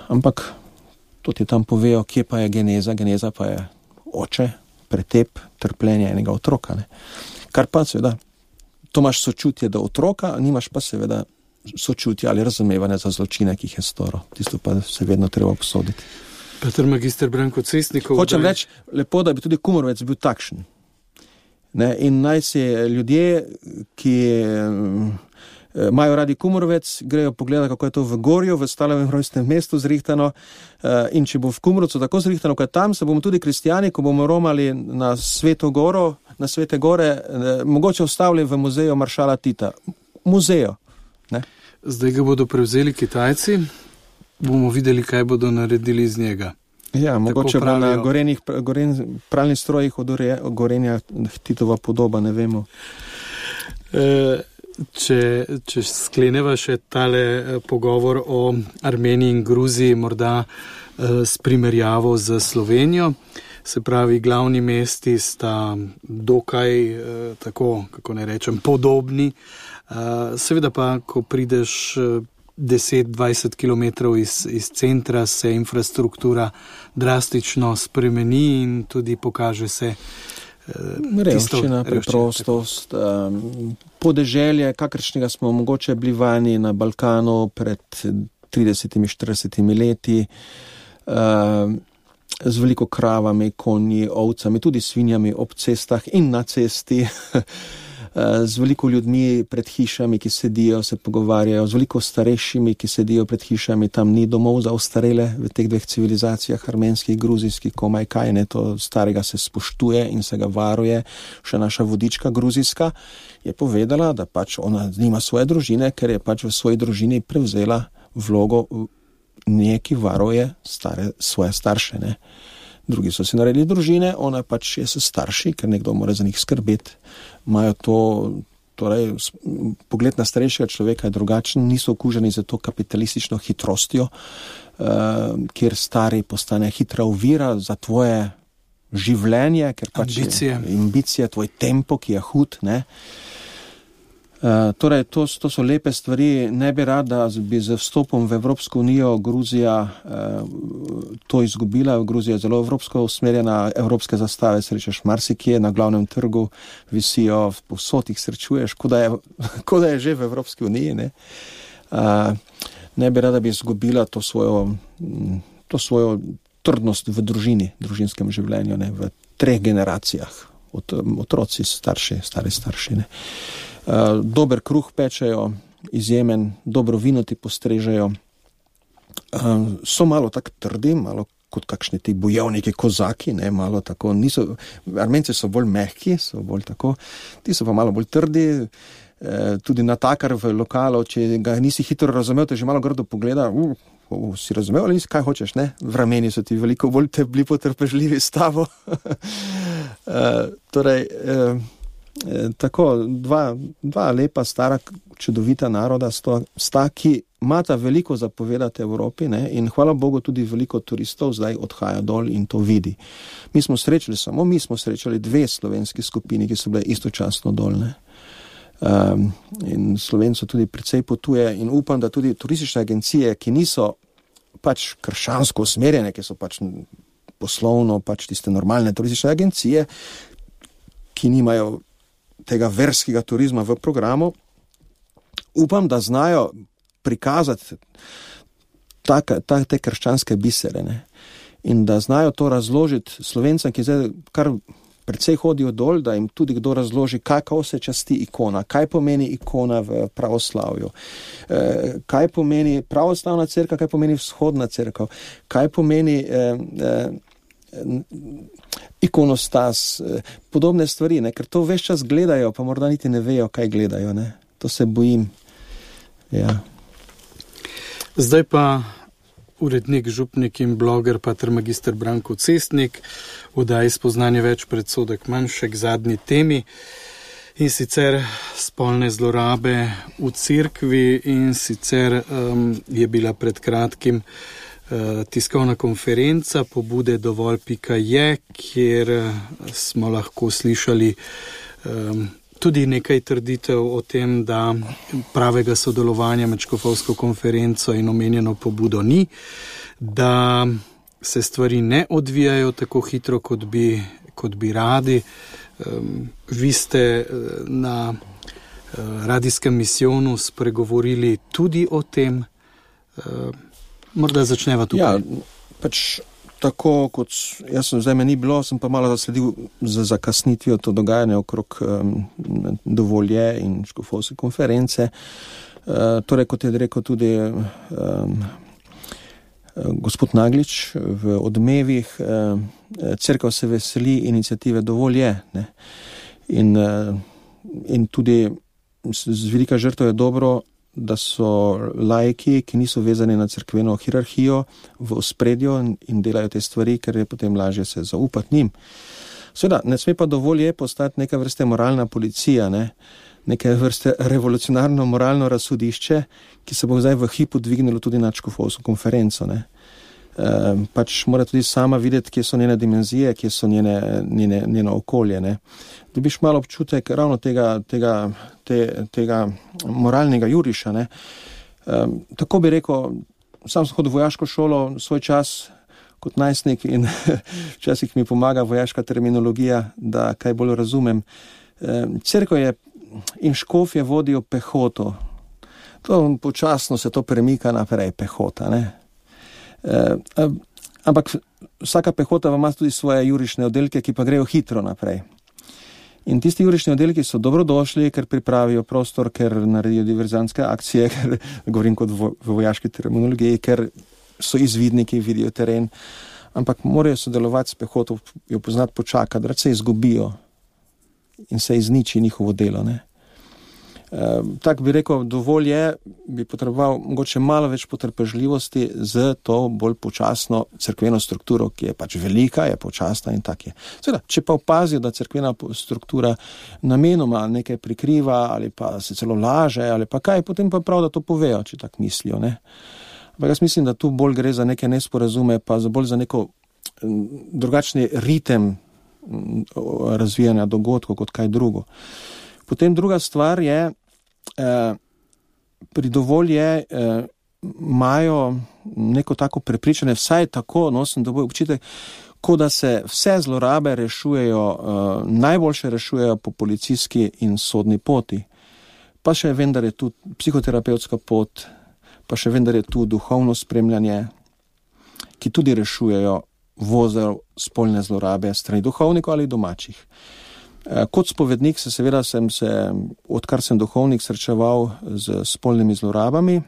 Ampak to ti tam povejo, kje pa je geneza. Geneza pa je oče, pretep, trpljenje enega otroka. Kar pa seveda, to imaš sočutje do otroka, nimaš pa seveda sočutje ali razumevanje za zločine, ki jih je storil. Tisto pa se vedno treba obsoditi. Peter magister Branko Cestnikov. Hočem reči, lepo, da bi tudi Kumorovec bil takšen. In naj si ljudje, ki imajo radi Kumorovec, grejo pogledati, kako je to v Gorju, v Stalovem rojstnem mestu zrihtano, in če bo v Kumorovcu tako zrihtano, kot tam, se bomo tudi kristijani, ko bomo romali na Sveto Goro, na Svete Gore, mogoče ustavili v muzeju maršala Tita. Muzejo. Zdaj ga bodo prevzeli Kitajci, bomo videli, kaj bodo naredili iz njega. Ja, mogoče bo na pralnih strojih od Gorenja Titova podoba, ne vemo. Če skleneva še tale pogovor o Armeniji in Gruziji, morda s primerjavo z Slovenijo, se pravi, glavni mesti sta dokaj, tako, kako ne rečem, podobni. Seveda pa, ko prideš 10-20 kilometrov iz centra, se infrastruktura drastično spremeni in tudi pokaže se revščina, preprostost, podeželje, kakršnega smo mogoče bili vani na Balkanu pred 30-40 leti, z veliko kravami, konji, ovcami, tudi svinjami ob cestah in na cesti, z veliko ljudmi pred hišami, ki sedijo, se pogovarjajo, z veliko starejšimi, ki sedijo pred hišami, tam ni domov za ostarele v teh dveh civilizacijah, armenskih, gruzijskih, komaj kaj, to starega se spoštuje in se ga varuje. Še naša vodička gruzijska je povedala, da pač ona nima svoje družine, ker je pač v svoji družini prevzela vlogo neki varuje svoje starše, Drugi so si naredili družine, ona pač je s starši, ker nekdo mora za njih skrbeti. Imajo to, torej, pogled na starejšega človeka je drugačen, niso okuženi za to kapitalistično hitrostjo, kjer stari postane hitra ovira za tvoje življenje, ker pač ambicije, tvoj tempo, ki je hud, Torej, to so lepe stvari. Ne bi rad, da bi z vstopom v Evropsko unijo Gruzija to izgubila. Gruzija je zelo evropsko usmerjena, evropske zastave srečaš marsikje, na glavnem trgu visijo, povsod jih srečuješ, kot da je že v Evropski uniji. Ne bi rad, da bi izgubila to svojo trdnost v družinskem življenju, v 3 generacijah. Otroci, starši, stari starši. Dober kruh pečejo, izjemen, dobro vino ti postrežejo. So malo tako trdi, malo kot kakšni ti bojevniki, kozaki, malo tako, Armenci so bolj mehki, so bolj tako, ti so pa malo bolj trdi, tudi natakar v lokalu, če ga nisi hitro razumel, te že malo grdo pogleda, si razumel ali kaj hočeš, V rameni so ti veliko bolj bili potrpežljivi s tabo. Torej, tako, dva lepa, stara, čudovita naroda sta, ki imata veliko zapovedati Evropi, in hvala Bogu tudi veliko turistov zdaj odhaja dol in to vidi. Mi smo srečali 2 slovenski skupini, ki so bile istočasno dol, In Slovencev tudi precej potuje in upam, da tudi turistične agencije, ki niso pač krščansko usmerjene, ki so pač poslovno pač tiste normalne turistične agencije, ki nimajo tega verskega turizma v programu, upam, da znajo prikazati te krščanske bisere, ne? In da znajo to razložiti Slovencem, ki zdaj kar precej hodijo dol, da jim tudi kdo razloži, kako se časti ikona, kaj pomeni ikona v pravoslavju, kaj pomeni pravoslavna cerkev, kaj pomeni vzhodna cerkev, kaj pomeni ikonostas, podobne stvari, ne? Ker to ves čas gledajo, pa morda niti ne vejo, kaj gledajo, ne? To se bojim. Ja. Zdaj pa urednik, župnik in bloger pater magister Branko Cestnik v oddaji Spoznanje več, predsodek manj, še k zadnji temi, in sicer spolne zlorabe v cerkvi, in sicer je bila pred kratkim tiskovna konferenca pobude dovolj.je, kjer smo lahko slišali tudi nekaj trditev o tem, da pravega sodelovanja med škofovsko konferenco in omenjeno pobudo ni, da se stvari ne odvijajo tako hitro, kot bi radi. Vi ste na radijskem misijonu spregovorili tudi o tem. Morda začneva tukaj. Ja, pač tako kot jaz sem, zdaj me ni bilo, sem pa malo zasledil za zakasnitvijo to dogajanje okrog dovolje in škofovske konference. Torej, kot je rekel tudi gospod Naglič v Odmevih, cerkev se veseli iniciative dovolje, ne? In tudi z velika žrtev je dobro, da so laiki, ki niso vezani na cerkveno hierarhijo, v ospredju in delajo te stvari, ker je potem lažje se zaupati njim. Seveda, ne sme pa dovolj postati neka vrste moralna policija, ne? Neke vrste revolucionarno moralno razsodišče, ki se bo zdaj v hipu dvignilo tudi na škofovsko konferenco, ne? Pač mora tudi sama videti, kje so njene dimenzije, kje so njeno okolje, ne? Dobiš malo občutek ravno tega moralnega juriša, ne? Tako bi rekel, sam sem hodil v vojaško šolo svoj čas kot najstnik in včasih mi pomaga vojaška terminologija, da kaj bolj razumem. Cerkev je in škofje vodijo pehoto. To počasno se to premika naprej, pehota, ne? Ampak vsaka pehota ima tudi svoje jurišne oddelke, ki pa grejo hitro naprej. In tisti jurišni oddelki so dobrodošli, ker pripravijo prostor, ker naredijo diverzantske akcije, ker govorim kot v vojaški terminologiji, ker so izvidniki, vidijo teren, ampak morajo sodelovati s pehoto, jo poznati, počakati, da se izgubijo in se izniči njihovo delo, ne. Tak bi rekel, dovolj je, bi potreboval mogoče malo več potrpežljivosti z to bolj počasno cerkveno strukturo, ki je pač velika, je počasna in tak je. Seveda, če pa opazijo, da cerkvena struktura namenoma nekaj prikriva ali pa se celo laže ali pa kaj, potem pa prav, da to povejo, če tak mislijo, ne. Ampak jaz mislim, da tu bolj gre za neke nesporazume, pa bolj za neko drugačni ritem razvijanja dogodkov kot kaj drugo. Potem druga stvar je, pri dovolje imajo neko tako prepričanje, vsaj tako, sem dobil občutek, kot da se vse zlorabe rešujejo, najboljše rešujejo po policijski in sodni poti. Pa še vendar je tu psihoterapevtska pot, pa še vendar je tu duhovno spremljanje, ki tudi rešujejo vozel spolne zlorabe strani duhovnikov ali domačih. Kot spovednik seveda sem se, odkar sem duhovnik, srečeval z spolnimi zlorabami,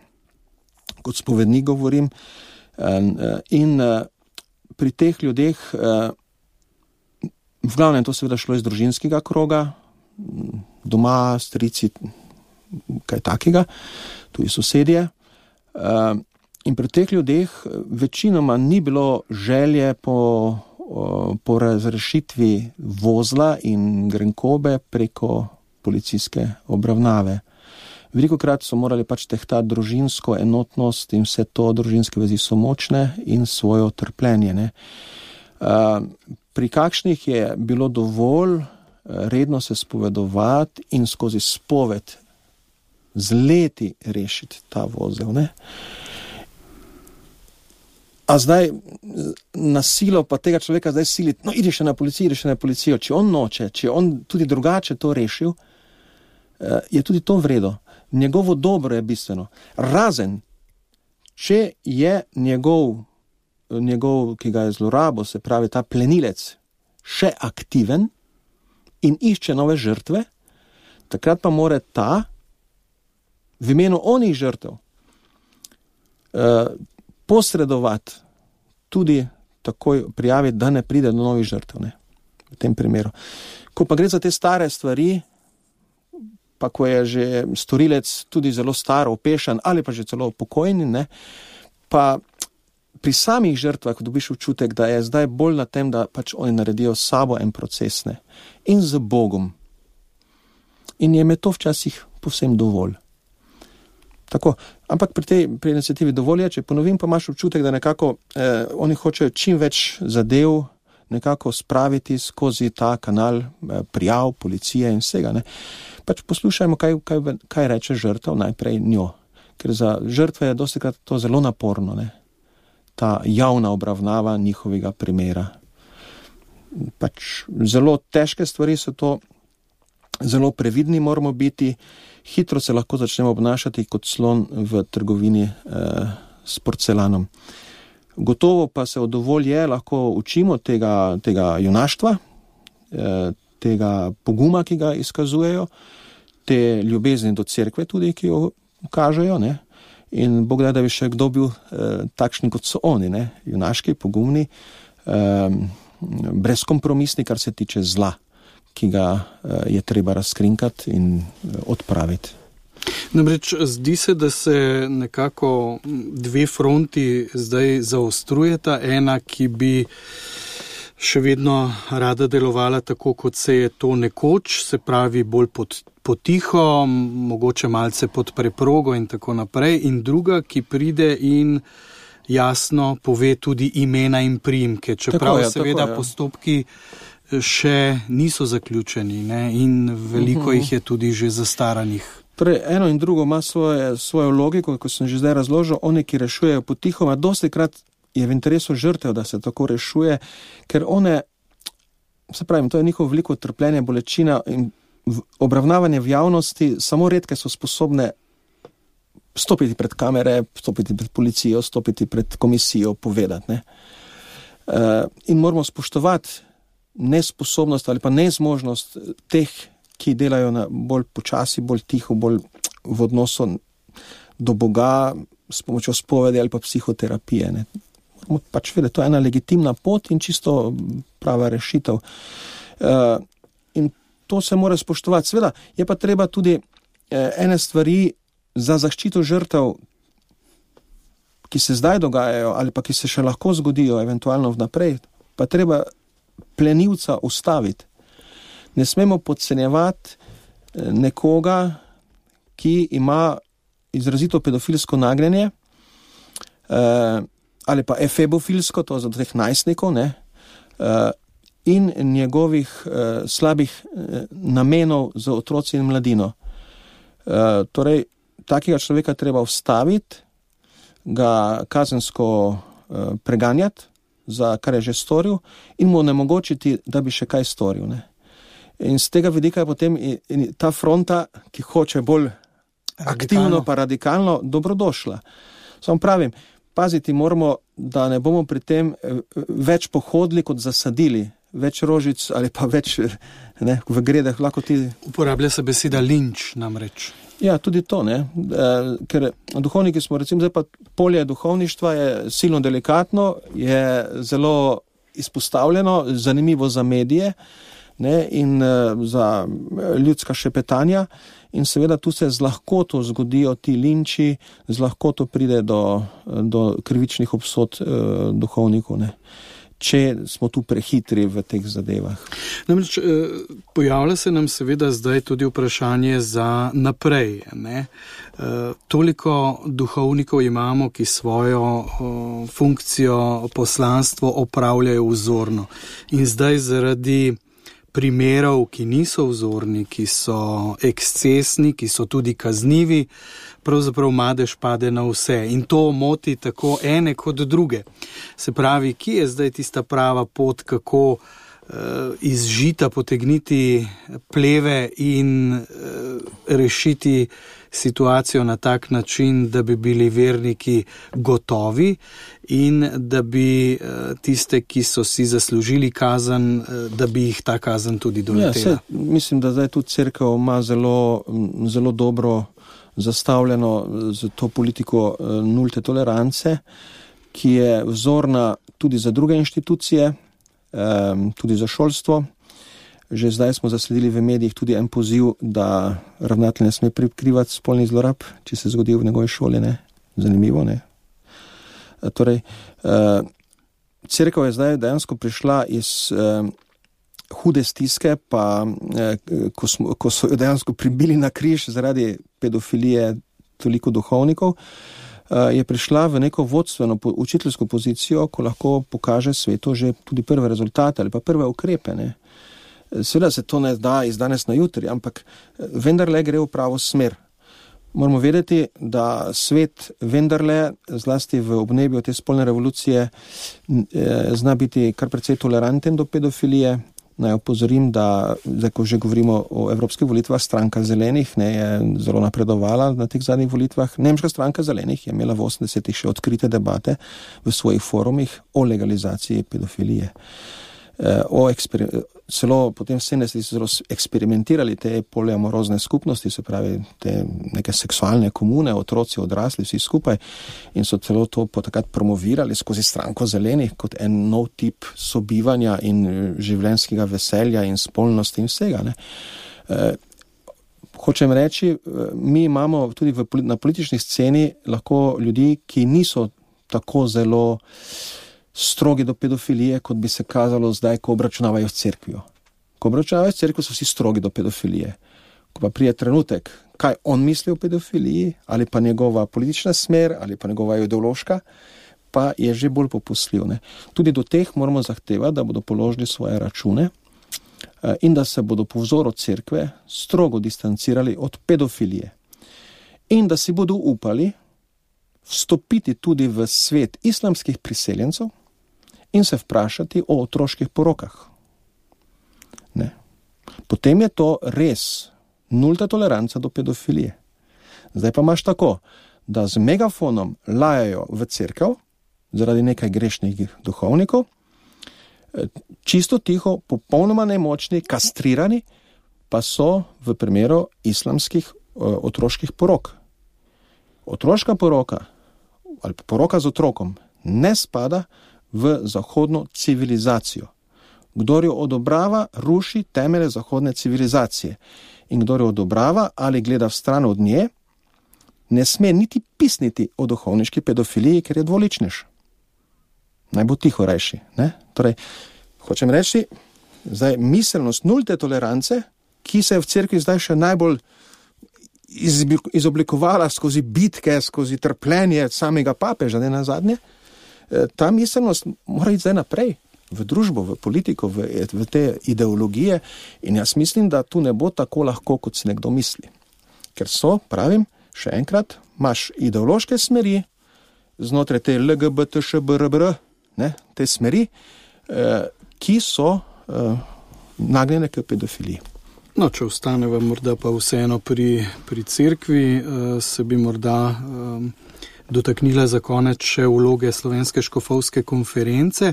kot spovednik govorim, in pri teh ljudeh, v glavnem to seveda šlo iz družinskega kroga, doma, strici, kaj takega, tudi sosedje, in pri teh ljudeh večinoma ni bilo želje po razrešitvi vozla in grenkobe preko policijske obravnave. Velikokrat so morali pač tehtati družinsko enotnost in vse to, družinske vezi so močne in svojo trpljenje, ne. Pri kakšnih je bilo dovolj redno se spovedovati in skozi spoved z leti rešiti ta vozel, ne. A zdaj na silo pa tega človeka zdaj siliti, no ideš na policijo, če on noče, če on tudi drugače to rešil, je tudi to vredo. Njegovo dobro je bistveno. Razen, če je njegov, ki ga je zlorabo, se pravi ta plenilec, še aktiven in išče nove žrtve, takrat pa mora ta v imenu onih žrtev posredovati, tudi takoj prijaviti, da ne pride do novih žrtev, ne, v tem primeru. Ko pa gre za te stare stvari, pa ko je že storilec tudi zelo star, opešan ali pa že celo pokojni, ne, pa pri samih žrtvah dobiš občutek, da je zdaj bolj na tem, da pač oni naredijo s sabo en proces, ne, in z Bogom. In je me to včasih povsem dovolj. Tako, ampak pri iniciativi dovolj je, če ponovim, pa imaš občutek, da nekako oni hočejo čim več zadev nekako spraviti skozi ta kanal prijav, policije in vsega. Ne. Pač poslušajmo, kaj reče žrtev najprej njo. Ker za žrtve je dostikrat to zelo naporno, ne. Ta javna obravnava njihovega primera. Pač zelo težke stvari so to, zelo previdni moramo biti, hitro se lahko začnemo obnašati kot slon v trgovini s porcelanom. Gotovo pa se od dovolje lahko učimo tega junaštva, tega poguma, ki ga izkazujejo, te ljubezni do cerkve tudi, ki jo kažejo, ne? In Bog da bi še kdo bil takšni, kot so oni, ne? Junaški, pogumni, brezkompromisni, kar se tiče zla, ki ga je treba razkrinkati in odpraviti. Namreč zdi se, da se nekako dve fronti zdaj zaostrujeta. Ena, ki bi še vedno rada delovala tako, kot se je to nekoč, se pravi bolj potiho, mogoče malce pod preprogo in tako naprej. In druga, ki pride in jasno pove tudi imena in priimke, čeprav seveda postopki še niso zaključeni, ne? In veliko jih je tudi že zastaranih. Torej, eno in drugo ima svojo logiko, kot sem že zdaj razložil. Oni, ki rešujejo potihoma, dostikrat je v interesu žrtev, da se tako rešuje, ker one, se pravim, to je njihovo veliko trpljenje, bolečina in obravnavanje v javnosti, samo redke so sposobne stopiti pred kamere, stopiti pred policijo, stopiti pred komisijo, povedati, ne. In moramo spoštovati nesposobnost ali pa nezmožnost teh, ki delajo na bolj počasi, bolj tiho, bolj v odnosu do Boga s pomočjo spovedi ali pa psihoterapije. Ne. Moramo pač vedeti, to je ena legitimna pot in čisto prava rešitev. In to se mora spoštovati. Seveda je pa treba tudi ene stvari za zaščito žrtev, ki se zdaj dogajajo ali pa ki se še lahko zgodijo eventualno vnaprej, pa treba plenilca ustaviti. Ne smemo podcenjevati nekoga, ki ima izrazito pedofilsko nagnjenje ali pa efebofilsko, to za teh najstnikov, ne, in njegovih slabih namenov za otroci in mladino. Torej, takega človeka treba ustaviti, ga kazensko preganjati, za kar je že storil, in mu onemogočiti, da bi še kaj storil, ne. In z tega vidika je potem ta fronta, ki hoče bolj aktivno pa radikalno, dobrodošla. Samo pravim, paziti moramo, da ne bomo pri tem več pohodili kot zasadili, več rožic ali pa več, ne, v gredah lahko ti... Uporablja se beseda linč namreč. Ja, tudi to, ne, ker duhovniki smo, recimo, zdaj pa polje duhovništva je silno delikatno, je zelo izpostavljeno, zanimivo za medije, ne, in za ljudska šepetanja, in seveda tu se z lahkoto zgodijo ti linči, z lahkoto pride do krivičnih obsod duhovnikov, ne, če smo tu prehitri v teh zadevah. Namreč pojavlja se nam seveda zdaj tudi vprašanje za naprej, ne. Toliko duhovnikov imamo, ki svojo funkcijo, poslanstvo opravljajo vzorno. In zdaj zaradi primerov, ki niso vzorni, ki so ekscesni, ki so tudi kaznivi, pravzaprav madež pade na vse in to moti tako ene kot druge. Se pravi, kje je zdaj tista prava pot, kako iz žita potegniti pleve in rešiti situacijo na tak način, da bi bili verniki gotovi in da bi tiste, ki so si zaslužili kazen, da bi jih ta kazen tudi doletela. Mislim, da zdaj tudi cerkev ima zelo dobro zastavljeno z to politiko nulte tolerance, ki je vzorna tudi za druge inštitucije, tudi za šolstvo. Že zdaj smo zasledili v medijih tudi en poziv, da ravnatelj ne sme prikrivati spolnih zlorab, če se zgodi v njegovi šoli, ne? Zanimivo, ne? Torej, cerkev je zdaj dejansko prišla iz hude stiske, pa ko so jo dejansko pribili na križ zaradi pedofilije toliko duhovnikov, je prišla v neko vodstveno učiteljsko pozicijo, ko lahko pokaže svetu že tudi prve rezultate ali pa prve ukrepe, ne? Seveda se to ne da iz danes na jutri, ampak vendarle gre v pravo smer. Moramo vedeti, da svet vendarle, zlasti v obnebju te spolne revolucije, zna biti kar precej toleranten do pedofilije. Naj opozorim, da, zdaj ko že govorimo o evropskih volitvah, stranka zelenih je zelo napredovala na teh zadnjih volitvah. Nemška stranka zelenih je imela v 80-ih še odkrite debate v svojih forumih o legalizaciji pedofilije. Celo potem v 70-ih so zelo eksperimentirali te poliamorozne skupnosti, se pravi te neke seksualne komune, otroci, odrasli, vsi skupaj, in so celo to takrat promovirali skozi stranko zelenih kot en nov tip sobivanja in življenjskega veselja in spolnosti in vsega, ne. Hočem reči, mi imamo tudi na politični sceni lahko ljudi, ki niso tako zelo strogi do pedofilije, kot bi se kazalo zdaj, ko obračunavajo s cerkvijo. Ko obračunavajo s cerkvijo, so vsi strogi do pedofilije. Ko pa prije trenutek, kaj on misli o pedofiliji, ali pa njegova politična smer, ali pa njegova ideološka, pa je že bolj popustljiv, ne. Tudi do teh moramo zahtevati, da bodo položili svoje račune in da se bodo po vzoru cerkve strogo distancirali od pedofilije. In da si bodo upali vstopiti tudi v svet islamskih priseljencev in se vprašati o otroških porokah. Ne. Potem je to res nulta toleranca do pedofilije. Zdaj pa imaš tako, da z megafonom lajajo v cerkev zaradi nekaj grešnih duhovnikov, čisto tiho, popolnoma nemočni, kastrirani, pa so v primeru islamskih otroških porok. Otroška poroka ali poroka z otrokom ne spada v zahodno civilizacijo. Kdor jo odobrava, ruši temelje zahodne civilizacije. In kdor jo odobrava ali gleda v stran od nje, ne sme niti pisniti o duhovniški pedofiliji, ker je dvoličnež. Naj bo tiho rajši, ne? Torej, hočem reči, zdaj miselnost nulte tolerance, ki se je v cerkvi zdaj še najbolj izoblikovala skozi bitke, skozi trpljenje samega papeža, ne nazadnje, ta miselnost mora iti zdaj naprej v družbo, v politiko, v te ideologije, in jaz mislim, da tu ne bo tako lahko, kot si nekdo misli. Ker so, pravim, še enkrat, imaš ideološke smeri znotraj te LGBTŠBRBR, ne, te smeri, ki so nagnjene k pedofiliji. No, če ostaneva morda pa vseeno pri cerkvi, se bi morda dotaknila za konec še vloge Slovenske škofovske konference.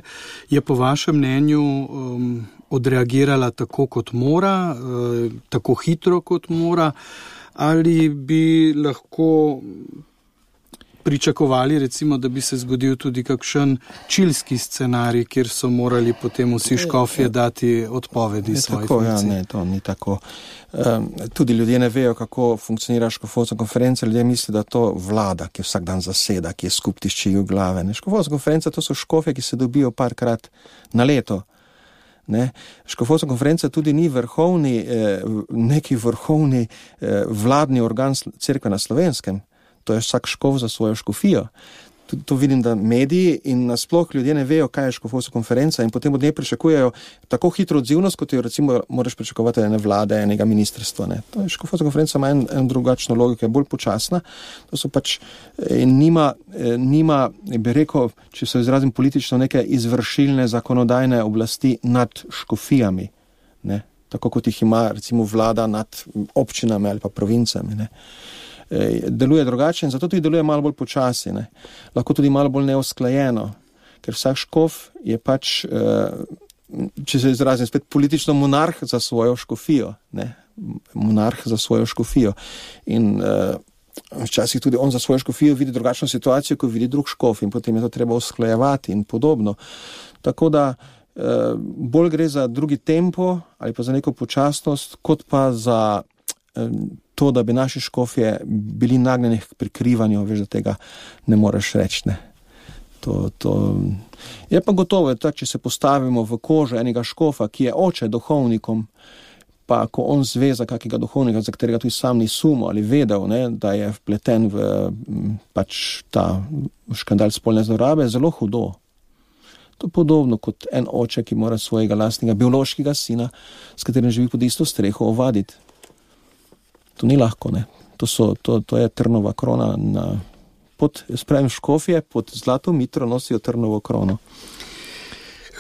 Je po vašem mnenju odreagirala tako, kot mora, tako hitro, kot mora, ali bi lahko pričakovali, recimo, da bi se zgodil tudi kakšen čilski scenarij, kjer so morali potem vsi škofje dati odpovedi svojih funkcij? Ja, ne, to ni tako. Tudi ljudje ne vejo, kako funkcionira škofovska konferenca, ljudje misli, da to vlada, ki vsak dan zaseda, ki je skup tišči v glave. Škofovska konferenca, to so škofje, ki se dobijo parkrat na leto. Ne? Škofovska konferenca tudi ni neki vrhovni vladni organ cerkve na Slovenskem. To je vsak škof za svojo škofijo. to vidim, da mediji in nasploh ljudje ne vejo, kaj je škofovska konferenca in potem od nje pričakujejo tako hitro odzivnost, kot jo recimo moraš pričakovati ene vlade, enega ministrstva. Ne. To je škofovska konferenca ima en drugačno logiko, je bolj počasna. To so pač nima, bi rekel, če se izrazim politično, neke izvršilne zakonodajne oblasti nad škofijami, ne. Tako kot jih ima recimo vlada nad občinami ali pa provincami, ne. Deluje drugače in zato tudi deluje malo bolj počasi, ne. Lahko tudi malo bolj neusklajeno, ker vsak škof je pač, če se izrazim spet, politično monarh za svojo škofijo, ne. Monarh za svojo škofijo. In včasih tudi on za svojo škofijo vidi drugačno situacijo, kot vidi drug škof in potem je to treba usklajevati in podobno. Tako da bolj gre za drugi tempo ali pa za neko počasnost, kot pa za to, da bi naši škofje bili nagnjeni k prikrivanju, veš, da tega ne moreš reči, ne. To je pa gotovo, da če se postavimo v kožo enega škofa, ki je oče duhovnikom, pa ko on zve za kakega duhovnika, za katerega tudi sam ni sumil ali vedel, ne, da je vpleten v pač ta škandal spolne zlorabe, zelo hudo. To je podobno kot en oče, ki mora svojega lastnega biološkega sina, s katerim živi pod isto streho, ovaditi. To ni lahko, ne. To je trnova krona pod škofje, pod zlato mitro nosijo trnovo krono.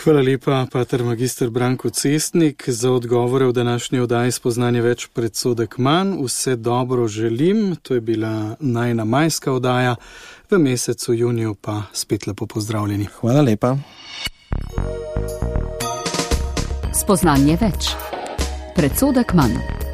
Hvala lepa, pater magister Branko Cestnik, za odgovore v današnji oddaji Spoznanje več, predsodek manj. Vse dobro želim, to je bila najina majska oddaja, v mesecu juniju pa spet lepo pozdravljeni. Hvala lepa. Spoznanje več, predsodek manj.